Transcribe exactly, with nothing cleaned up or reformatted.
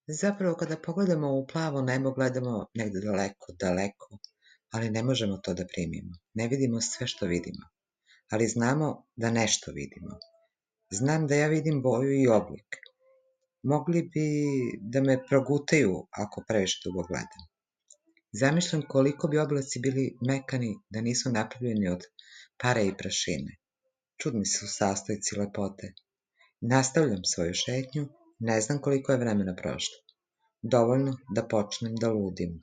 Zapravo kada pogledamo u plavo nebo gledamo negde daleko, daleko, ali ne možemo to da primimo. Ne vidimo sve što vidimo, ali znamo da nešto vidimo. Znam da ja vidim boju i oblik. Mogli bi da me progutaju ako previše dugo gledam. Zamišljam koliko bi oblaci bili mekani da nisu napravljeni od pare i prašine. Čudni su sastojci lepote. Nastavljam svoju šetnju, ne znam koliko je vremena prošlo. Dovoljno da počnem da ludim.